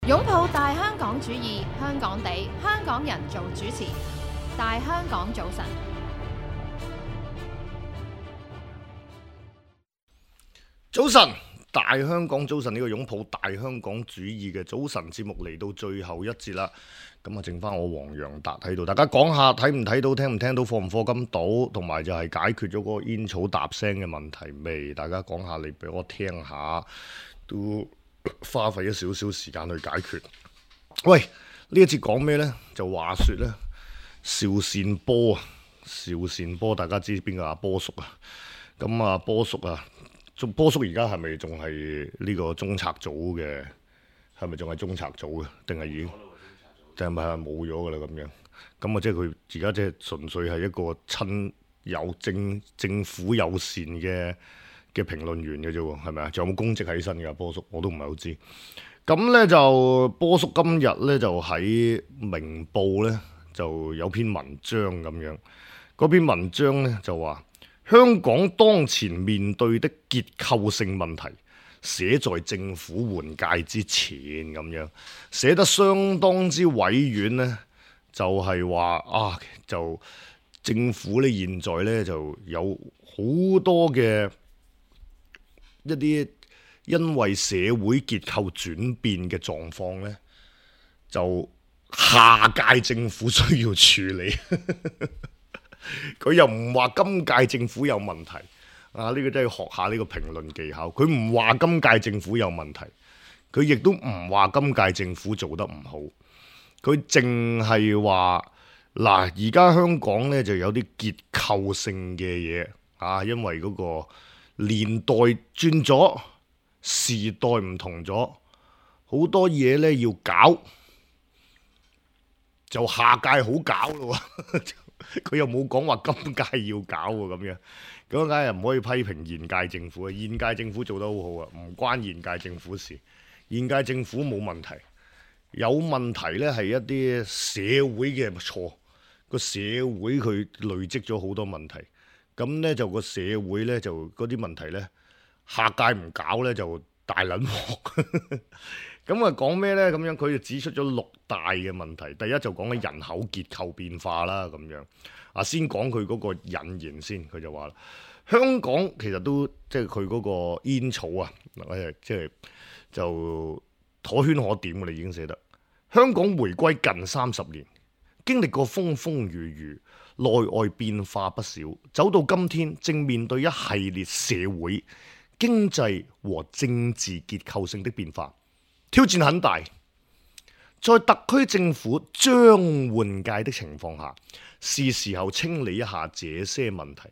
擁抱大香港主義，香港地，香港人做主持。大香港早晨，早晨，大香港早晨，呢個擁抱大香港主義嘅早晨節目嚟到最後一節啦。咁啊，剩翻我黃洋達喺度，大家講下睇唔睇到、聽唔聽到、課唔課金到，同埋就係解決咗嗰個煙草搭聲嘅問題未？大家講下嚟俾我聽下，都花費咗少少時間去解決。喂，呢一節講咩呢？就話說呢，邵善波啊，邵善波大家知邊個阿波叔啊？咁啊，波叔啊，波叔而家係咪仲係呢個中策組嘅？係咪仲係中策組嘅？定係已經？定係咪係冇咗噶啦？咁樣咁啊，即係佢而家即係純粹係一個親有政府友善嘅評論員嘅啫喎，係咪啊？仲有冇公職喺身㗎？波叔我都唔係好知。咁咧就波叔今日咧就喺明報咧就有篇文章咁樣，嗰篇文章咧就話香港當前面對的結構性問題，寫在政府換屆之前咁樣，寫得相當之委婉呢，就係話啊，就政府呢現在呢就有好多嘅一啲因為社會結構轉變嘅狀況呢，就下屆政府需要處理。佢又唔話今屆政府有問題。啊！呢個真係學下呢個評論技巧。佢唔話今屆政府有問題，佢亦都唔話今屆政府做得唔好。佢淨係話嗱，而家香港呢就有啲結構性嘅嘢啊，因為嗰個年代轉咗，時代唔同咗，好多嘢呢要搞，就下屆好搞咯。佢又冇講話今屆要搞喎，咁樣咁梗係唔可以批評現屆政府啊！現屆政府做得好好啊，唔關現屆政府事。現屆政府冇問題，有問題呢係一啲社會嘅錯，個社會佢累積咗好多問題，咁呢，就個社會呢，就嗰啲問題呢，下屆唔搞呢，就大撚鑊。咁啊講咩呢？咁樣佢就指出咗6大嘅問題。第一就講緊人口結構變化啦，咁樣啊，先講佢嗰個引言先。佢就話啦，香港其實都即係佢嗰個煙草啊，即係就可圈可點嘅啦，已經寫得。香港回歸近30年，經歷過風風雨雨，內外變化不少，走到今天正面對一系列社會、經濟和政治結構性的變化。挑戰很大，在特區政府將換屆的情況下，是時候清理一下這些問題，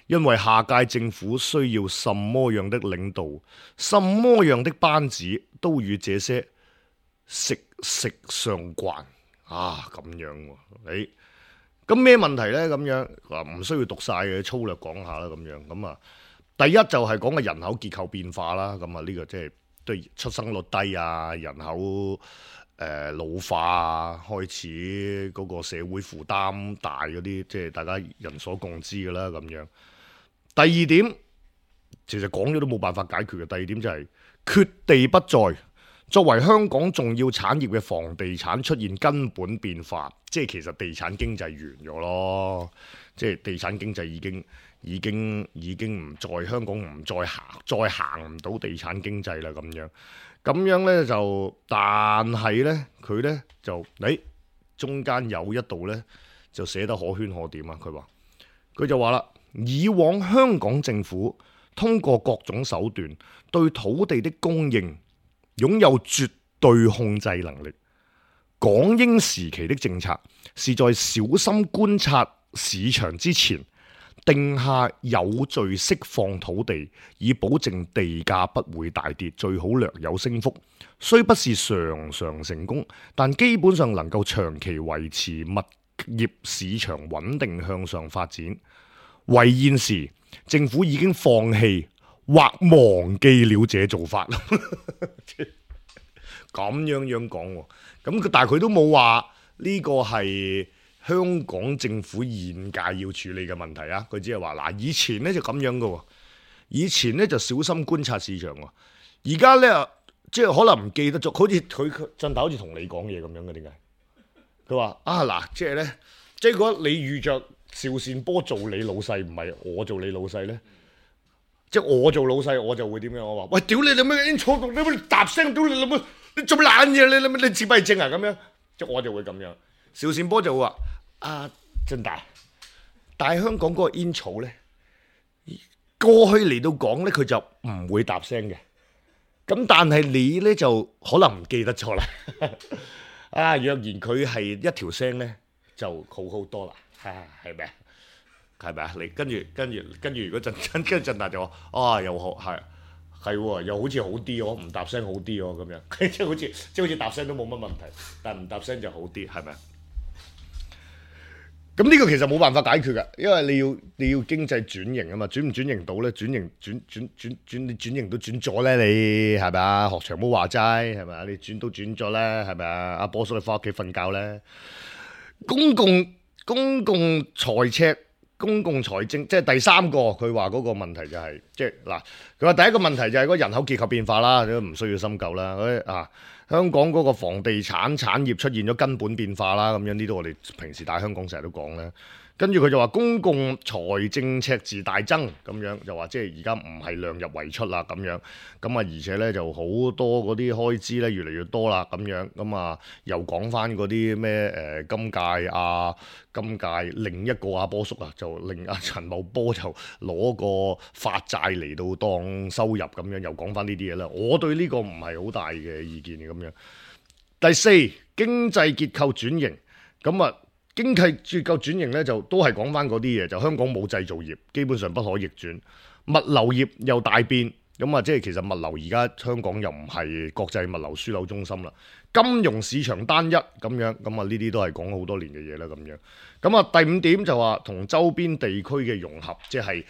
因為下屆政府需要什麼樣的領導，什麼樣的班子，都與這些息息相關啊！咁樣喎，咁咩問題呢？咁樣唔需要讀晒嘅，粗略講下啦，咁樣咁啊，第一就係講嘅人口結構變化啦，咁啊呢個即係。對出生率低啊，人口老化啊，開始嗰個社會負擔大嗰啲，即係大家人所共知嘅啦咁樣。第二點，其實講咗都冇辦法解決嘅。第二點就係缺地不再，作為香港重要產業嘅房地產出現根本變化，即係其實地產經濟完咗咯，即係地產經濟已經唔再香港唔再行唔到地產經濟啦咁樣呢就，但係呢，佢呢就中間有一度呢就寫得可圈可點啊！佢就話啦，以往香港政府通過各種手段對土地的供應擁有絕對控制能力，港英時期的政策是在小心觀察市場之前，定下有序釋放土地，以保證地價不會大跌，最好略有升幅。雖不是常常成功，但基本上能夠長期維持物業市場穩定向上發展。為現時政府已經放棄或忘記了這做法。咁樣講喎，咁但係佢都冇話呢個係香港政府現屆要處理嘅問題啊！佢只係話嗱，以前呢就咁樣嘅喎，以前呢就小心觀察市場喎，而家呢即係可能唔記得咗，好似佢振達好似同你講嘢咁樣嘅，點解？佢話啊嗱，即係咧，即係如果你遇着邵善波做你老細，唔係我做你老細咧，即係我做老細，我就會點樣？我話喂，屌你老味，你坐度，你乜答聲，屌你老味，你做乜懶嘢？你老味，你自閉症啊咁樣，即係我就會咁樣。邵善波就會話啊，振達，但係香港嗰個煙草咧，過去嚟到講咧，佢就唔會答聲嘅。咁但係你咧就可能唔記得咗啦。啊，若然佢係一條聲咧，就好好多啦。係咪啊？係咪啊？你跟住，如果跟住振達就話，啊，又好係喎，又好似好啲喎，唔答聲好啲喎，咁樣即係好似答聲都冇乜問題，但係唔答聲就好啲，係咪啊？咁呢個其實冇辦法解決㗎，因為你要經濟轉型啊嘛，轉唔轉型到咧？轉型都轉咗咧，你係咪啊？學長冇話齋係咪啊？你轉都轉咗咧，係咪啊？阿波叔你翻屋企瞓覺咧，公共財赤、公共財政，即係第三個佢話嗰個問題就係、即係嗱，佢話第一個問題就係嗰人口結構變化啦，都唔需要深究啦。香港嗰個房地產產業出現咗根本變化啦，咁樣呢啲我哋平時大香港成日都講咧。跟住佢就話公共財政赤字大增，咁樣就話即係而家唔係量入為出啦，咁樣咁啊，而且咧就好多嗰啲開支咧越嚟越多啦，咁樣咁啊又講翻嗰啲咩今屆另一個阿波叔啊，就令阿陳茂波就攞個發債嚟到當收入咁樣，又講翻呢啲嘢啦。我對呢個唔係好大嘅意見嘅咁樣。第四，經濟結構轉型，咁啊。經濟結構轉型咧，就都係講翻嗰啲嘢，就香港冇製造業，基本上不可逆轉。物流業又大變，咁啊，即係其實物流而家香港又唔係國際物流樞紐中心啦。金融市場單一咁樣，咁啊呢啲都係講好多年嘅嘢啦，咁樣。咁啊第五點就話同周邊地區嘅融合，即係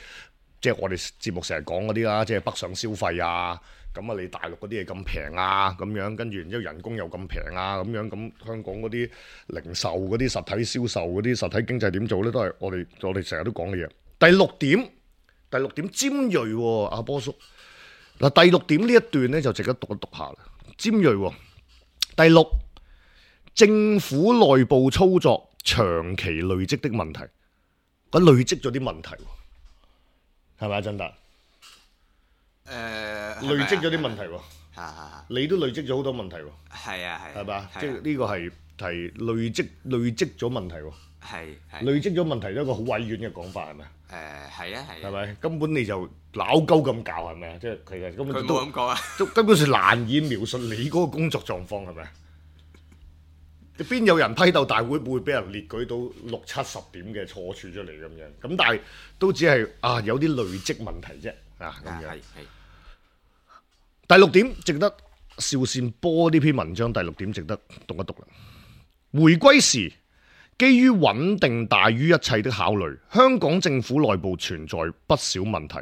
我哋節目成日講嗰啲啦，即係北上消費啊。咁啊，你大陸嗰啲嘢咁平啊，咁樣跟住然之後人工又咁平啊，咁樣咁香港嗰啲零售嗰啲實體銷售嗰啲實體經濟點做咧，都係我哋成日都講嘅嘢。第六點尖鋭喎，阿波叔嗱，第六點呢一段咧就值得讀一讀下啦。尖鋭喎，第六，政府內部操作長期累積的問題，佢累積咗啲問題喎，係咪啊，振達？累積咗啲問題喎，你都累積咗好多問題喎，係嘛？即係呢個係累積咗問題喎，累積咗問題一個好委婉嘅講法係咪？係咪？根本你就鬧鳩咁教係咪啊？即係其實根本都根本上難以描述你嗰個工作狀況係咪？邊有人批鬥大會會俾人列舉到60-70點嘅錯處出嚟咁樣？咁但係都只係有啲累積問題啫。咁樣第六點值得邵善波呢篇文章，第六點值得讀一讀啦。回歸時，基於穩定大於一切的考慮，香港政府內部存在不少問題，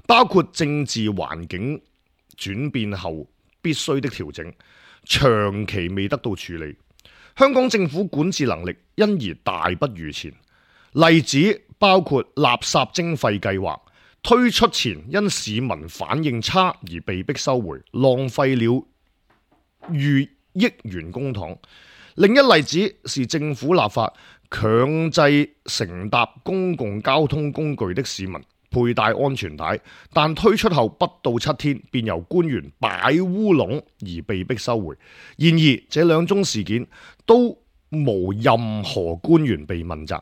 包括政治環境轉變後必須的調整，長期未得到處理。香港政府管治能力因而大不如前，例子包括垃圾徵費計劃推出前因市民反應差而被迫收回，浪費了逾億元公帑。另一例子是政府立法強制乘搭公共交通工具的市民佩戴安全帶，但推出後不到7天便由官員擺烏龍而被迫收回。然而這兩宗事件都無任何官員被問責。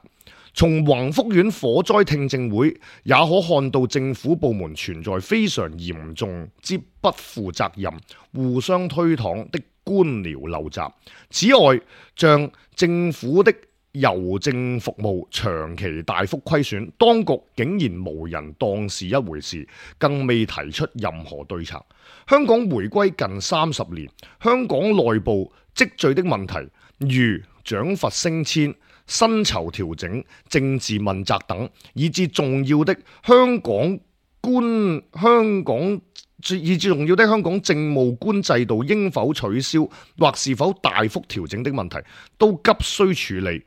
從宏福苑火災聽證會也可看到政府部門存在非常嚴重之不負責任、互相推搪的官僚陋習。此外，像政府的郵政服務長期大幅虧損，當局竟然無人當是一回事，更未提出任何對策。香港回歸近30年，香港內部積聚的問題，如獎罰升遷、薪酬調整、政治問責等，以至重要的香港政務官制度應否取消或是否大幅調整的問題，都急需處理，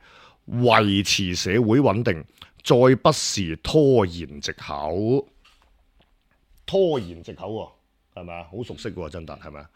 維持社會穩定，再不是拖延藉口。拖延藉口喎，係咪啊？好熟悉喎，曾達係咪啊？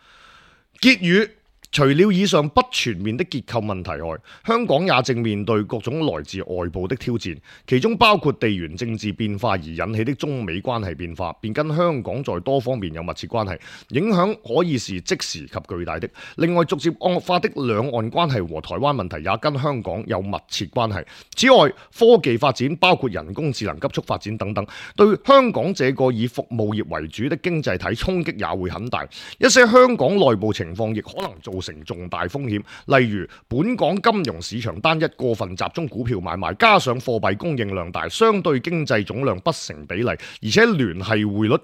結語。除了以上不全面的結構問題外，香港也正面對各種來自外部的挑戰，其中包括地緣政治變化而引起的中美關係變化，便跟香港在多方面有密切關係，影響可以是即時及巨大的。另外，逐漸惡化的兩岸關係和台灣問題也跟香港有密切關係。此外，科技發展包括人工智能急速發展等等，對香港這個以服務業為主的經濟體衝擊也會很大。一些香港內部情況亦可能造成重大風險，例如本港金融市場單一過分集中股票買賣，加上貨幣供應量大，相對經濟總量不成比例，而且聯匯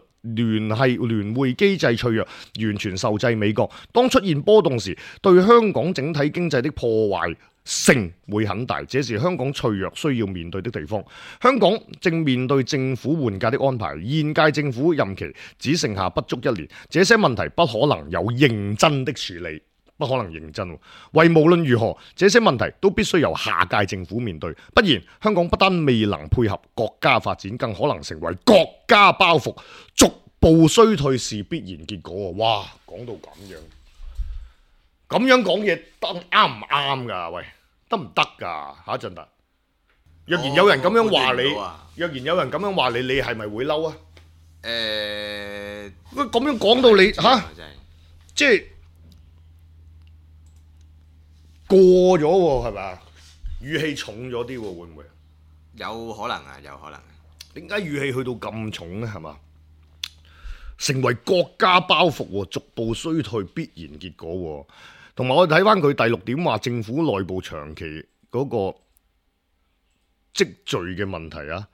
機制脆弱，完全受制美國。當出現波動時，對香港整體經濟的破壞性會很大，這是香港脆弱需要面對的地方。香港正面對政府換屆的安排，現屆政府任期只剩下不足1年，這些問題不可能有認真的處理。不可能認真，為無論如何，這些問題都必須由下屆政府面對，不然香港不單未能配合國家發展，更可能成為國家包袱，逐步衰退是必然結果。哇，講到咁樣講嘢得啱唔啱㗎？喂，得唔得㗎？下一陣啊，若然有人咁樣話你，你係咪會嬲啊？咁樣講到你即係。過咗喎，係咪啊？語氣重咗啲喎，會唔會？有可能啊，有可能。點解語氣去到咁重呢？係嘛？成為國家包袱喎，逐步衰退必然結果喎。同埋我哋睇翻佢第6點話，政府內部長期嗰個積聚嘅問題啊，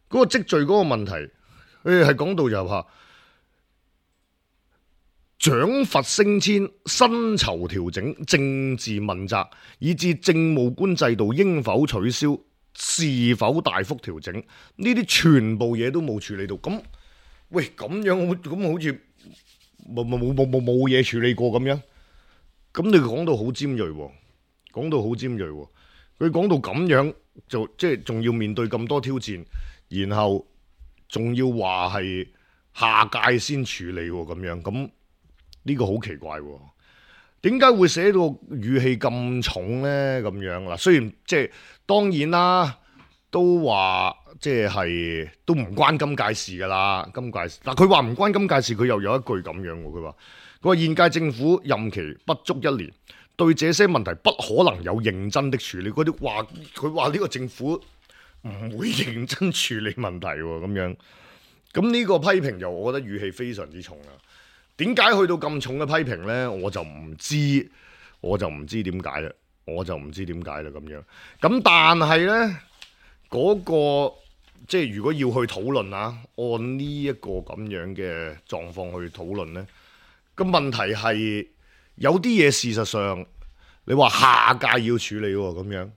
嗰個積聚嗰個問題，係講到就話。獎罰升遷、薪酬調整、政治問責，以至政務官制度應否取消、是否大幅調整，呢啲全部嘢都冇處理到。咁，喂，咁樣咁好似冇嘢處理過咁樣。咁你講到好尖鋭喎，講到好尖鋭喎。佢講到咁樣就即係仲要面對咁多挑戰，然後仲要話係下屆先處理喎咁樣咁。呢個好奇怪喎，點解會寫到語氣咁重呢？咁樣嗱，雖然即係當然啦，都話即係都唔關今屆事㗎啦。今屆嗱，佢話唔關今屆事，佢又有一句咁樣喎。佢話現屆政府任期不足1年，對這些問題不可能有認真的處理。佢話呢個政府唔會認真處理問題喎。咁樣咁呢個批評又我覺得語氣非常之重啊。點解去到咁重嘅批評呢？我就唔知點解啦，咁樣。咁但係呢，嗰個即係如果要去討論啊，按呢一個咁樣嘅狀況去討論呢，個問題係有啲嘢事實上你話下屆要處理喎，咁樣。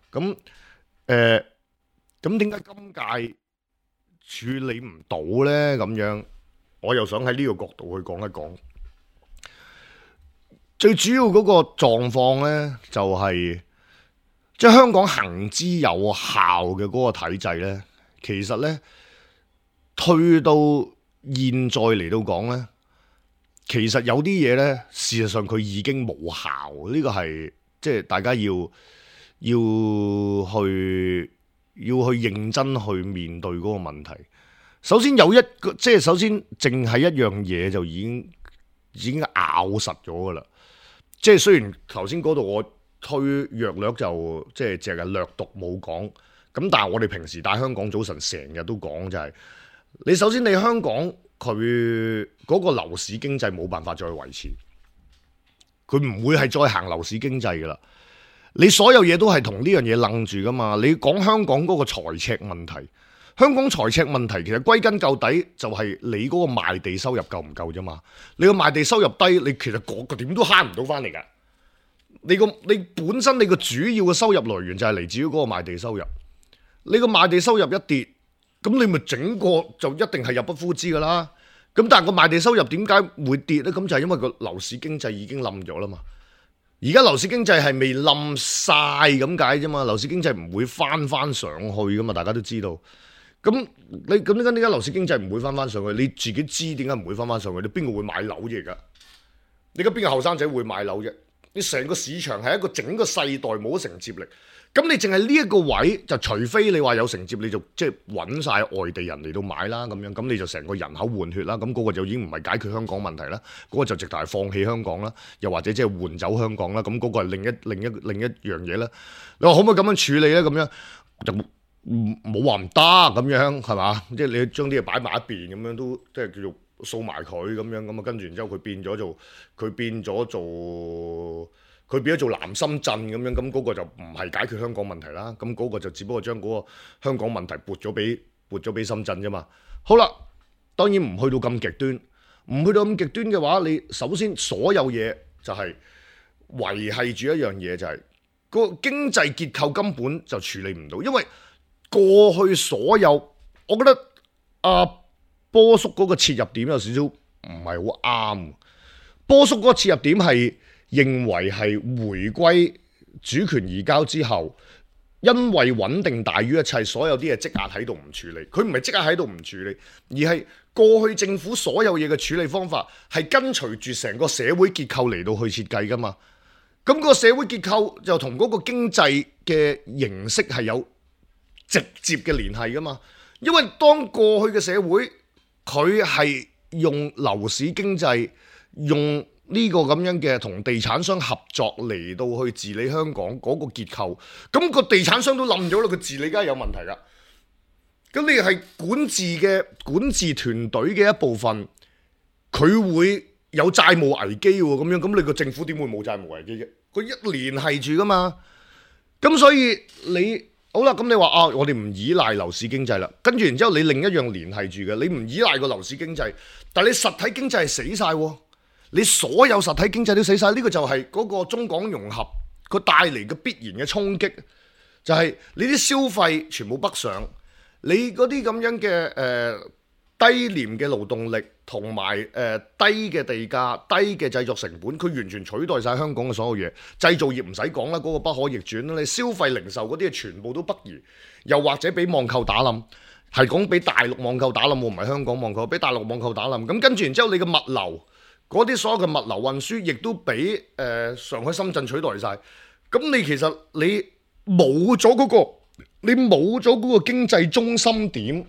咁點解今屆處理唔到呢？咁樣。我又想喺呢個角度去講一講，最主要嗰個狀況呢，就係即係香港行之有效嘅嗰個體制呢，其實呢，退到現在嚟到講呢，其實有啲嘢呢，事實上佢已經冇效，呢個係即係大家要去認真去面對嗰個問題。首先有一個，即係首先淨係一樣嘢就已經咬實咗噶啦。即係雖然頭先嗰度我推約略就即係淨係略讀冇講，咁但係我哋平時帶香港早晨成日都講就係，你首先你香港佢嗰個樓市經濟冇辦法再維持，佢唔會係再行樓市經濟噶啦。你所有嘢都係同呢樣嘢楞住噶嘛。你講香港嗰個財赤問題。香港財赤問題其實歸根究底就係你嗰個賣地收入夠唔夠啫嘛？你個賣地收入低，你其實個點都慳唔到翻嚟㗎。你本身你個主要嘅收入來源就係嚟自於嗰個賣地收入。你個賣地收入一跌，咁你咪整個就一定係入不敷支㗎啦。咁但係個賣地收入點解會跌呢？咁就係因為個樓市經濟已經冧咗啦嘛。而家樓市經濟係未冧晒咁解啫嘛。樓市經濟唔會翻上去㗎嘛，大家都知道。咁點解樓市經濟唔會翻上去？你自己知點解唔會翻上去？你邊個會買樓啫？而家你而家邊個後生仔會買樓啫？你成個市場係一個整個世代冇承接力。咁你淨係呢一個位，就除非你話有承接，你就即係揾晒外地人嚟到買啦，咁你就成個人口換血啦，咁嗰個就已經唔係解決香港問題啦，嗰個就直頭係放棄香港啦，又或者即係換走香港啦，咁嗰個係另一樣嘢啦。你話可唔可以咁樣處理咧？咁樣就冇話唔得咁樣係嘛？即係你將啲嘢擺埋一邊咁樣都即係叫做掃埋佢咁樣，咁啊跟住然之後佢變咗做南深圳咁樣，咁嗰個就唔係解決香港問題啦，咁嗰個就只不過將嗰個香港問題撥咗俾深圳啫嘛。好啦，當然唔去到咁極端，唔去到咁極端嘅話，你首先所有嘢就係維繫住一樣嘢，就係個經濟結構根本就處理唔到，因為過去所有，我覺得阿波叔嗰個切入點有少少唔係好啱。波叔嗰個切入點係認為係回歸主權移交之後，因為穩定大於一切，所有啲嘢積壓喺度唔處理。佢唔係積壓喺度唔處理，而係過去政府所有嘢嘅處理方法係跟隨住成個社會結構嚟到去設計噶嘛。咁個社會結構就同嗰個經濟嘅形式係有直接嘅聯繫噶嘛。因為當過去嘅社會佢係用樓市經濟，用呢個咁樣嘅同地產商合作嚟到去治理香港嗰個結構，咁個地產商都冧咗啦，佢治理梗係有問題噶。咁你係管治團隊嘅一部分，佢會有債務危機喎，咁你個政府點會冇債務危機啫？佢一連係住噶嘛。咁所以你好啦，咁你話啊，我哋唔依賴樓市經濟啦，跟住然之後你另一樣連係住嘅，你唔依賴個樓市經濟，但係你實體經濟係死晒喎。你所有實體經濟都死晒，呢個就係嗰個中港融合佢帶嚟嘅必然嘅衝擊，就係你啲消費全部北上，你嗰啲咁樣嘅低廉嘅勞動力同埋低嘅地價、低嘅製作成本，佢完全取代晒香港嘅所有嘢。製造業唔使講啦，嗰個不可逆轉啦。你消費零售嗰啲全部都北移，又或者俾網購打冧，係講俾大陸網購打冧，唔係香港網購，俾大陸網購打冧。咁跟住然之後，你嘅物流嗰啲所有嘅物流運輸，亦都俾上海、深圳取代晒。咁你其實你冇咗嗰個經濟中心點，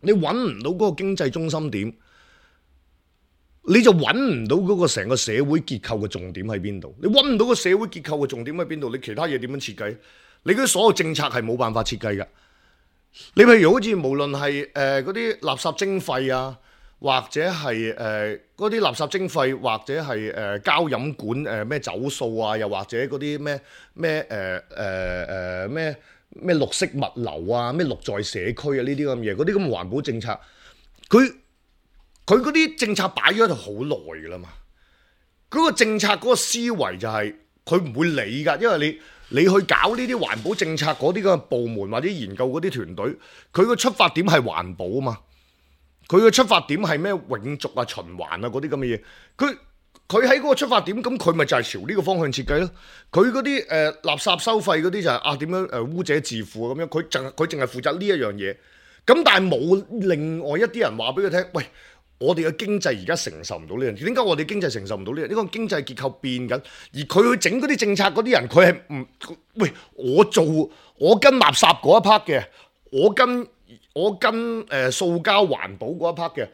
你揾唔到嗰個經濟中心點，你就揾唔到嗰個成個社會結構嘅重點喺邊度。你揾唔到個社會結構嘅重點喺邊度，你其他嘢點樣設計？你嗰啲所有政策係冇辦法設計㗎。你譬如好似無論係嗰啲垃圾徵費啊，或者係嗰啲垃圾徵費，或者係膠飲管咩走數啊，又或者嗰啲咩綠色物流啊，咩綠在社區啊，呢啲咁嘢，嗰啲咁嘅環保政策，佢嗰啲政策擺咗喺度好耐噶啦嘛。嗰個政策嗰個思維就係佢唔會理㗎，因為你去搞呢啲環保政策嗰啲咁嘅部門或者研究嗰啲團隊，佢個出發點係環保啊嘛。佢嘅出發點係咩永續啊、循環啊嗰啲咁嘅嘢，佢喺嗰個出發點，咁佢咪就係朝呢個方向設計咯。佢嗰啲垃圾收費嗰啲就係點樣污者自負咁樣，佢淨係負責呢一樣嘢。咁但係冇另外一啲人話俾佢聽，喂，我哋嘅經濟而家承受唔到呢樣嘢。點解我哋經濟承受唔到呢樣？呢個經濟結構變緊，而佢去整嗰啲政策嗰啲人，佢係唔喂我跟垃圾嗰一 part 嘅，我跟塑膠環保嗰一 part 嘅，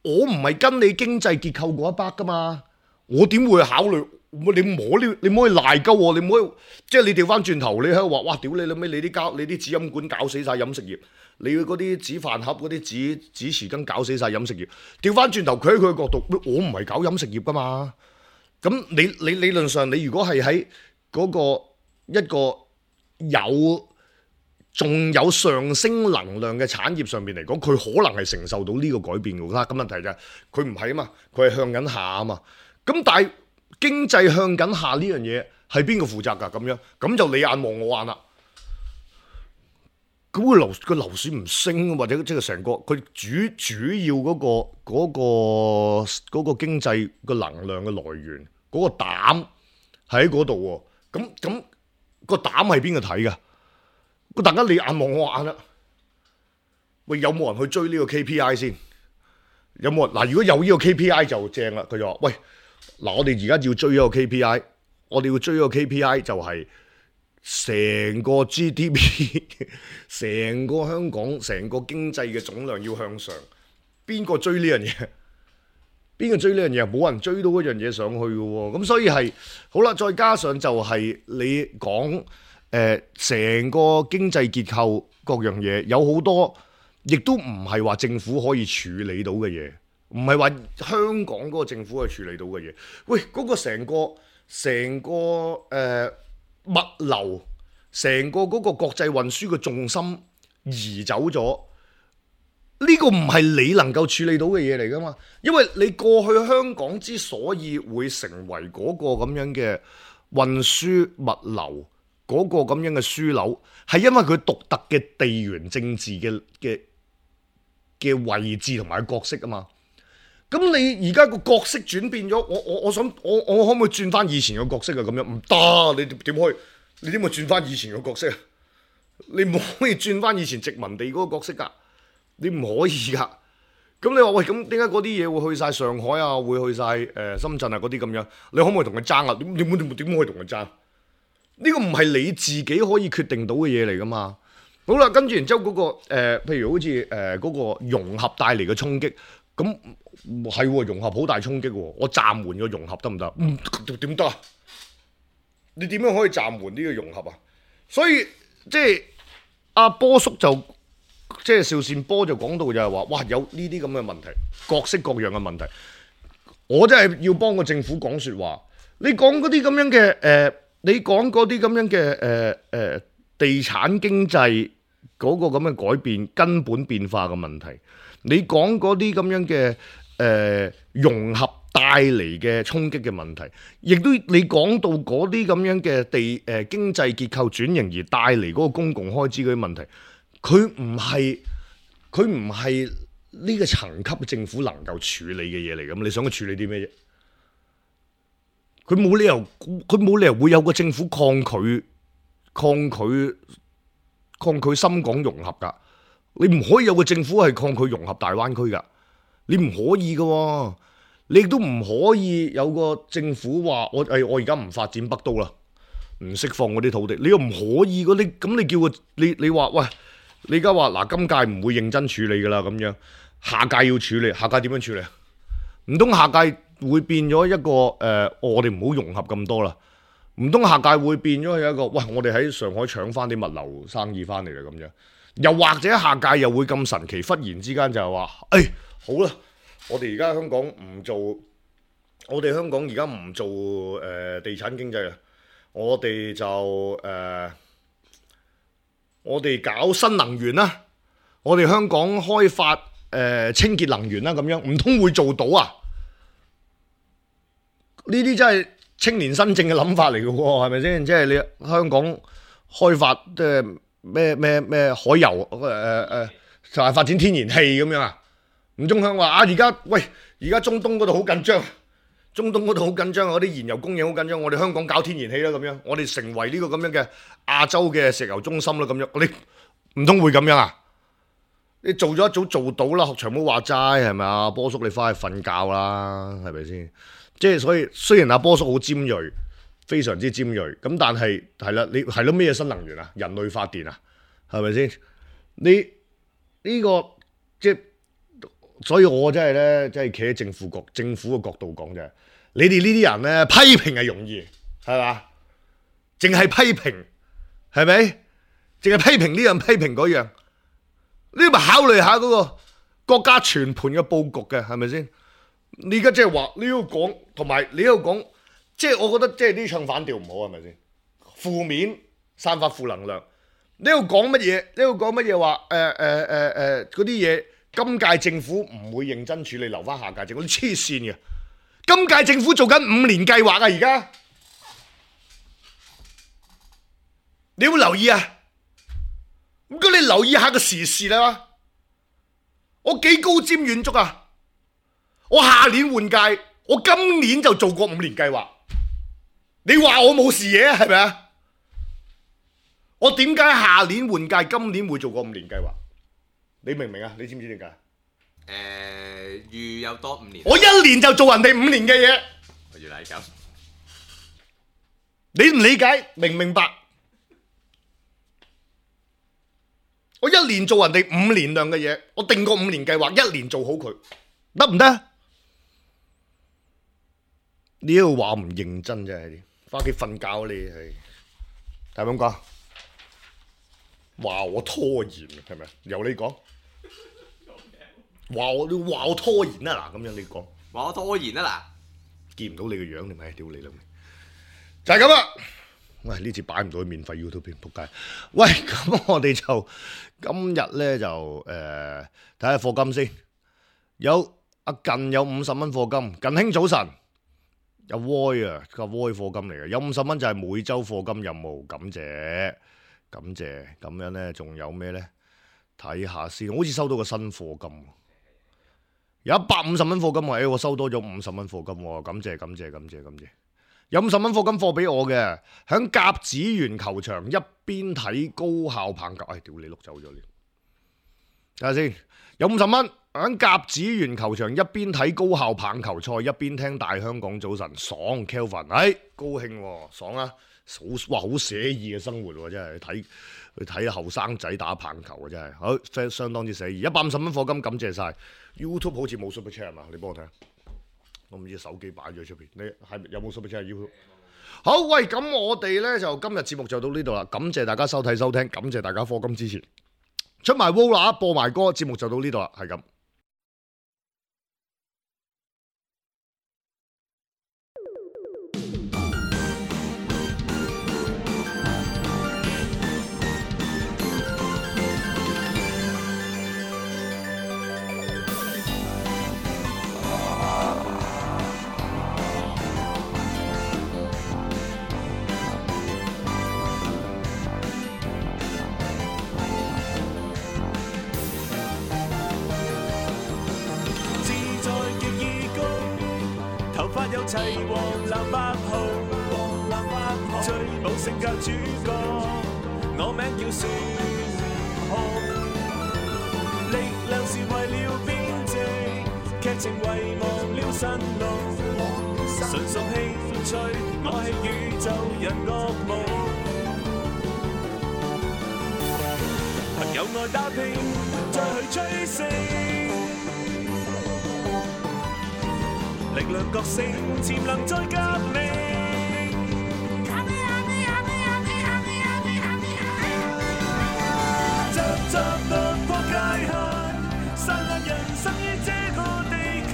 我唔係跟你經濟結構嗰一 part 噶嘛，我點會考慮？你唔可以賴鳩我，你唔可以即係你調翻轉頭，你喺度話哇屌你老味，你啲紙飲管搞死晒飲食業，你嗰啲紙飯盒嗰啲紙匙羹搞死晒飲食業。調翻轉頭，佢喺佢嘅角度，我唔係搞飲食業噶嘛。咁你理論上，你如果係喺嗰個一個仲有上升能量嘅產業上面嚟講，佢可能係承受到呢個改變㗎啦。咁問題就係佢唔係啊嘛，佢係向緊下啊嘛。咁但係經濟向緊下呢樣嘢係邊個負責㗎？咁就你眼望我眼啦。咁個樓市唔升，或者即係成個佢主要嗰個經濟個能量嘅來源，嗰個膽喺嗰度喎。咁個膽係邊個睇㗎？大家你眼望我眼啦，喂，有冇人去追呢個 KPI 先？有冇人嗱？如果有呢個 KPI 就正啦。佢就話：喂，嗱，我哋而家要追一個 KPI，我哋要追一個 KPI 就係成個 GDP， 成個香港成個經濟嘅總量要向上。邊個追呢樣嘢？邊個追呢樣嘢？冇人追到嗰樣嘢上去嘅喎。咁所以係好啦，再加上就係你講成個經濟結構各樣嘢有好多。亦都唔係話政府可以處理到嘅嘢，唔係話香港嗰個政府可以處理到嘅嘢。喂，嗰個成個物流，成個嗰個國際運輸嘅重心移走咗，呢個唔係你能夠處理到嘅嘢嚟㗎嘛？因為你過去香港之所以會成為嗰個咁樣嘅運輸物流嗰個咁樣嘅樞紐，係因為佢獨特嘅地緣政治嘅位置同埋角色啊嘛。咁你而家個角色轉變咗，我想我可唔可以轉翻以前嘅角色啊？咁樣唔得，你點可以？你點會轉翻以前嘅角色啊？你唔可以轉翻以前殖民地嗰個角色㗎，你唔可以㗎。咁你話喂，咁點解嗰啲嘢會去晒上海啊，會去晒深圳啊嗰啲咁樣？你可唔可以同佢爭啊？點可以同佢爭？呢個唔係你自己可以決定到嘅嘢嚟㗎嘛。好啦，跟住然之後嗰個譬如好似嗰個融合帶嚟嘅衝擊，咁係融合好大衝擊喎。我暫緩個融合得唔得？點得啊？你點樣可以暫緩呢個融合啊？所以即係阿波叔就即係邵善波就講到就係話，哇，有呢啲咁嘅問題，各式各樣嘅問題，我真係要幫個政府講説話。你講嗰啲咁樣嘅你講嗰啲咁樣嘅地產經濟嗰個咁嘅改變根本變化嘅問題，你講嗰啲咁樣嘅融合帶嚟嘅衝擊嘅問題，亦都你講到嗰啲咁樣嘅經濟結構轉型而帶嚟嗰個公共開支嗰啲問題，佢唔係呢個層級政府能夠處理嘅嘢嚟㗎。你想佢處理啲咩啫？佢冇理由會有個政府抗拒深港融合㗎。你唔可以有個政府係抗拒融合大灣區㗎。你唔可以㗎喎。你亦都唔可以有個政府話我而家唔發展北都啦，唔釋放嗰啲土地。你又唔可以㗎。你叫個你話喂，你而家話嗱，今屆唔會認真處理㗎啦咁樣，下屆要處理，下屆點樣處理？唔通下屆會變咗一個我哋唔好融合咁多啦？唔通下屆會變咗係一個喂，我哋喺上海搶翻啲物流生意翻嚟啦咁樣？又或者下屆又會咁神奇，忽然之間就係話，好啦，我哋而家香港唔做，我哋香港而家唔做地產經濟啦，我哋就我哋搞新能源啦，我哋香港開發清潔能源啦咁樣，唔通會做到啊？呢啲真係青年新政嘅諗法嚟嘅喎，係咪先？即係你香港開發即係咩海油就係發展天然氣咁樣啊？唔中香話而家中東嗰度好緊張，中東嗰度好緊張，嗰啲燃油供應好緊張，我哋香港搞天然氣啦咁樣，我哋成為呢個咁樣嘅亞洲嘅石油中心啦咁樣，你唔通會咁樣啊？你做咗一早做到啦，學長冇話齋係咪啊？波叔你翻去瞓覺啦，係咪先？即係所以，雖然阿波叔好尖鋭，非常之尖鋭，咁但係係啦，你係咯咩新能源啊？人類發電啊？係咪先？你呢個即係，所以我真係咧，即係企喺政府嘅角度講就係，你哋呢啲人咧批評係容易，係嘛？淨係批評係咪？淨係批評呢樣批評嗰樣，你咪考慮下嗰個國家全盤嘅佈局嘅，係咪先？你而家即係話你要講，同埋你要講，即係我覺得即係呢唱反調唔好，係咪先？負面散發負能量，你要講乜嘢？你要講乜嘢話？嗰啲嘢，今屆政府唔會認真處理，留翻下屆政府。黐線嘅，今屆政府做緊5年計劃啊！而家你要留意啊！唔該，你留意下個時事啦。我幾高瞻遠矚啊！我下年換屆，我今年就做過5年計劃。你話我冇視野啊？係咪啊？我點解下年換屆，今年會做過5年計劃？你明唔明啊？你知唔知點解？預有多5年。我1年就做人哋5年嘅嘢，我原來係咁。你唔理解，明唔明白？我1年做人哋5年量嘅嘢，我定個5年計劃，1年做好佢，得唔得？你呢個話唔認真真係，返屋企瞓覺你係，係咪咁講？話我拖延係咪？由你講，話我拖延啊嗱，咁樣你講，話我拖延啊嗱，見唔到你個樣你咪屌你啦，就係咁啦。喂，呢次擺唔到去免費 YouTube 片，仆街。喂，咁我哋就今日咧就睇下課金先。有阿近有50蚊課金，近兄早晨。有 Voy 啊，個 Voy 課金嚟嘅，有50蚊就係每週課金任務，感謝感謝。咁樣咧，仲有咩咧？睇下先，好似收到個新課金，有150蚊課金喎，我收多咗50蚊課金喎，感謝感謝感謝感謝。有50蚊課金課俾我嘅，響甲子園球場一邊睇高校棒球，屌你碌走咗你，睇下先。有50蚊響甲子園球場一邊睇高校棒球賽，一邊聽大香港早晨，爽 Kelvin， 高興喎，爽啊！好寫意嘅生活喎，真係去睇後生仔打棒球啊，真係好相當之寫意。150蚊課金，感謝晒。YouTube 好似冇 Super Chat 嘛？你幫我睇下。我唔知手機擺咗出邊，你係有冇 Super Chat YouTube？好，喂，咁我哋咧就今日節目就到呢度啦，感謝大家收睇收聽，感謝大家課金支持，出埋 Vola 播埋歌，節目就到呢度啦，係咁。有齊黃藍白號，最冇性格主角，我名叫孫紅。力量是為了編織，劇情遺忘了神龍。純屬興趣，我係宇宙人惡夢。朋友愛打拼，再去追星。力量覺醒，潛能再革命。集突破界限，散落人生於這個地球。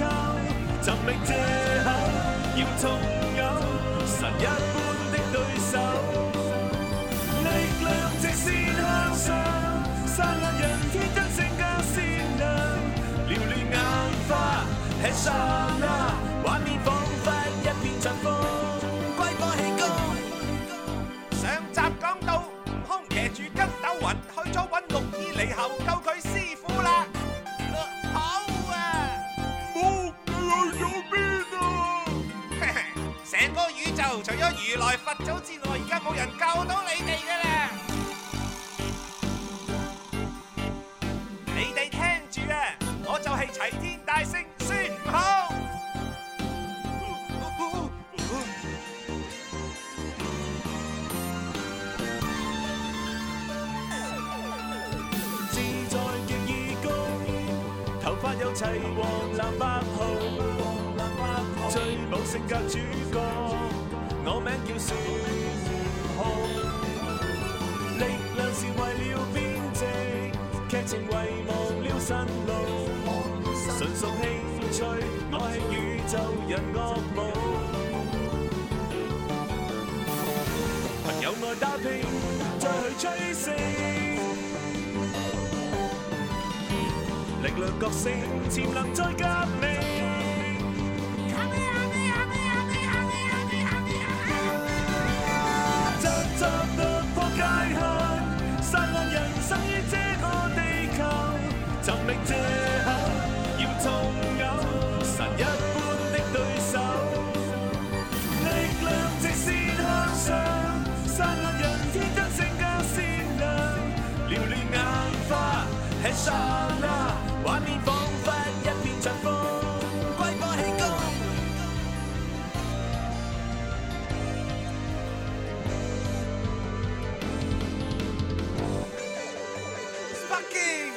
尋覓藉口，要重有神一般的對手。力量直線向上，散落人天真性格善良。撩亂眼花，吃剎那。畫面彷彿一片塵風，龜波氣功。上集講到悟空騎住筋斗雲去咗揾六耳獼猴救佢師傅啦。好啊，冇去咗邊啊？成個宇宙除咗如來佛祖之外，而家冇人救到你哋㗎啦。你哋聽住啊，我就係齊天大聖孫悟空。有齊黃藍白號，最冇性格主角，我名叫孫紅。力量是為了編織，劇情遺忘了神龍。純屬興趣，我係宇宙人惡夢。朋友愛打拼，再去追星。力量覺醒，潛能再革命。集突破界限，散落人生於這個地球。尋覓藉口，要重有神一般的對手。力量直線向上，散落人天真性格善良。撩亂眼花，吃剎那，畫面彷彿一片祥風，揮火氣功。Sparking